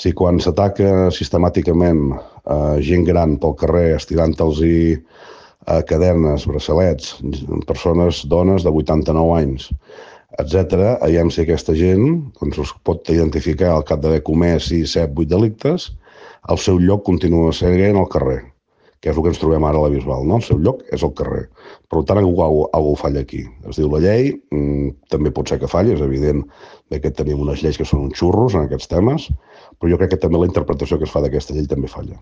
Si quan s'ataca sistemàticament gent gran pel carrer estirant-los cadenes, braçalets, persones, dones de 89 anys, etc., veiem si aquesta gent es pot identificar al cap d'haver comès 6, 7, 8 delictes, el seu lloc continua sent al carrer, que és el que ens trobem ara a la Bisbal, no? El seu lloc és el carrer. Per tant, algú falla aquí. Es diu la llei, també pot ser que falli, és evident que tenim unes lleis que són uns xurros en aquests temes, però jo crec que també la interpretació que es fa d'aquesta llei també falla.